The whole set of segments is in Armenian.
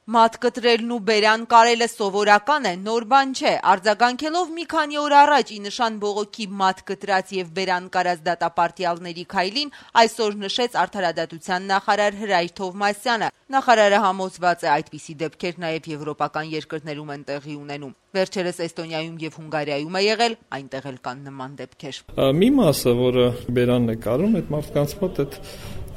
Մատ կտրելն ու բերան կարելը սովորական է, նոր բան չէ։ Արձագանքելով մի քանի օր առաջ ի նշան բողոքի մատ կտրած եւ բերան կարած դատապարտյալների քայլին, այսօր նշեց Արդարադատության նախարար Հրայր Թովմասյանը։ Նախարարը համոզված է, այդպիսի դեպքեր նաեւ եվրոպական երկրներում են տեղի ունենում։ Վերջերս Էստոնիայում եւ Հունգարիայում է եղել, այնտեղ էլ կան նման դեպքեր։ Մի մասը, որը բերանն է կարում, այդ մարդկանց մոտ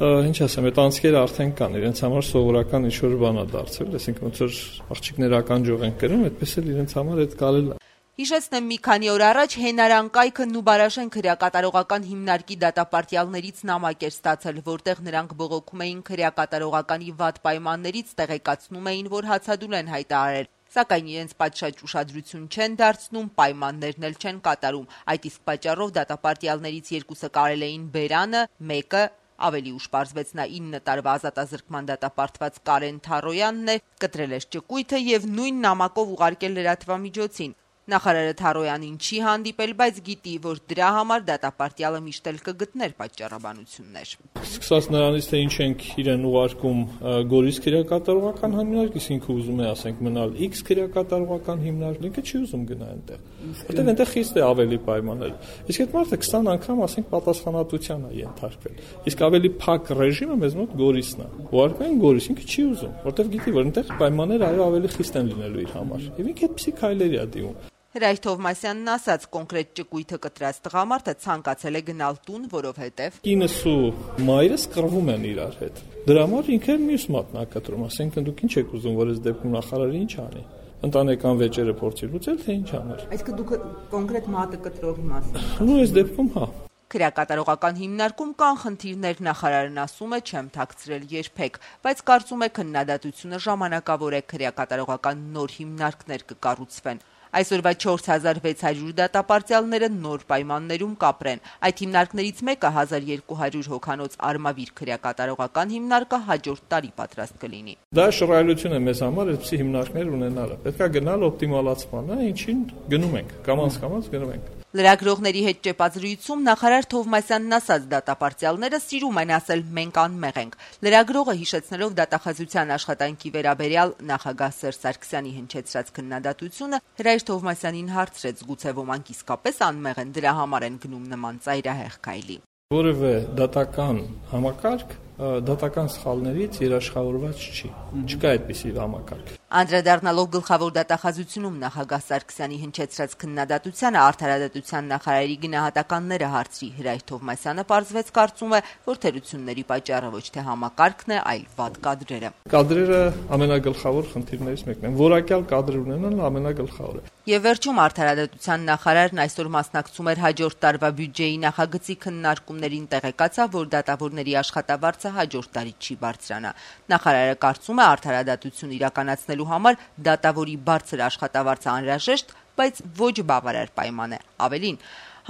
ինչ ասեմ, այդ անցքերը արդեն կան, իրենց համար սովորական ինչ-որ բան է դարձել, այսինքն ոնց որ աղջիկներ ականջող են կրում, այդպես էլ իրենց համար այդ կարել է։ Հիշեցնեմ, մի քանի օր առաջ Հենարան կայքը Նուբարաշեն քրեակատարողական հիմնարկի դատապարտյալներից նամակ էր ստացել, որտեղ նրանք բողոքում էին քրեակատարողականի վատ պայմաններից, տեղեկացնում էին, որ հացադուլ են հայտարարել, սակայն իրենց պատշաճ ուշադրություն չեն դարձնում, պայմաններն էլ չեն կատարում։ Այդ իսկ պատճառով դատապարտյալներից երկուսը կարել էին բերանը, մեկը ավելի ուշ պարզվեց նա 9 տարվա ազատազրկման դատապարտված Կարեն Թարոյանն է, կտրել էր ճկույթը եւ նույն նամակով ուղարկել լրատվամիջոցին։ Նախարարը Թարոյանին չի հանդիպել, բայց գիտի, որ դրա համար դատապարտյալը միշտ էլ կգտներ պատճառաբանություններ։ Սկսած նրանից, թե ինչ ենք իրեն ուղարկում Գորիս քրեակատարողական հիմնարկ, իսկ ինքը ուզում է, ասենք, մնալ X քրեակատարողական հիմնարկ, ինքը չի ուզում գնա այնտեղ։ Որտեղ այնտեղ խիստ է ավելի պայմաններ։ Իսկ այդ մարդը 20 անգամ, ասենք, պատասխանատվության է ենթարկվել։ Իսկ ավելի փակ ռեժիմը մեզ մոտ Գորիսն է։ Ուղարկում են Գորիս, ինքը չի ուզում, որտեղ գիտի, որ այնտեղ պայմանները այո ավելի խիստ են լինելու իր համար։ Եվ ինքը այդպիսի քայլերի է դիմում։ Հրայր Թովմասյանն ասաց, կոնկրետ ճկույթը կտրած տղամարդը ցանկացել է գնալ տուն, որովհետև կինս ու մայրս կռվում են իրար հետ։ Դրա համար ինքը մյուս մատն է կտրում, ասենք դուք ինչ եք ուզում, որ այս դեպքում նախարարը ինչ անի։ Ընտանեկան վեճերը փորձի լուծել, թե ինչ աներ։ Այսինքն դուք կոնկրետ մատը կտրողի մասին։ Ու այս դեպքում հա։ Քրեակատարողական հիմնարկում կան խնդիրներ, նախարարն ասում է, չեմ թաքցրել երբեք, բայց կարծում է քննադատությունը ժամանակավոր է, քրեակատարողական նոր հիմնարկներ կկառուցվեն։ Այսօրվա 4600 դատապարտյալները նոր պայմաններում կապրեն։ Այդ հիմնարկներից մեկը 1200 հոգանոց Արմավիր քրեակատարողական հիմնարկը հաջորդ տարի պատրաստ կլինի։ Դա շռայլություն է մեզ համար այդպիսի հիմնարկներ ունենալը։ Պետք է գնալ օպտիմալացման, ինչին գնում ենք, կամաց գնում ենք։ Լրագրողների հետ ճեպազրույցում նախարար Թովմասյանն ասաց, դատապարտյալները սիրում են ասել մենք անմեղ ենք։ Լրագրողը հիշեցնելով դատախազության աշխատանքի վերաբերյալ նախագահ Սերժ Սարգսյանի հնչեցրած քննադատությունը Հրայր Թովմասյանին հարցրեց, գուցե ոմանք իսկապես անմեղ են, դրա համար են գնում նման ծայրահեղ քայլի։ Որևէ դատական համակարգ դատական սխալներից երաշխավորված չի։ Չկա այդպիսի համակարգ։ Անդրադառնալով գլխավոր դատախազությունում նախագահ Սարգսյանի հնչեցրած քննադատությանը Արդարադատության նախարարի գնահատականները հարցրի Հրայր Թովմասյանը պարզվեց կարծում է, որ թերությունների պատճառը ոչ թե համակարգն է, այլ վատ կադրերը։ Կադրերը ամենագլխավոր խնդիրներից մեկն են։ Որակյալ կադրեր ունենալը ամենագլխավորը։ Եվ վերջում Արդարադատության նախարարն այսօր մասնակցում էր հաջորդ տարվա բյուջեի նախագծի քննարկումներին, տեղեկացավ, որ դատավորների աշխատավարձը հաջորդ տարի չի բարձրանա։ Նախարարը կարծում է արդարադատություն իրականացնելու համար դատավորի բարձր աշխատավարձը անհրաժեշտ, բայց ոչ բավարար պայման է։ Ավելին,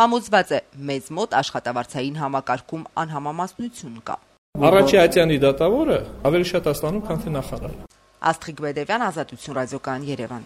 համոզված է, մեզ մոտ աշխատավարձային համակարգում անհամամասնություն կա։ Առաջի ատյանի դատավորը ավելի շատ է ստանում, քան թե նախարարը։ Աստղիկ Բեդևյան, Ազատություն ռադիոկայան, Երևան։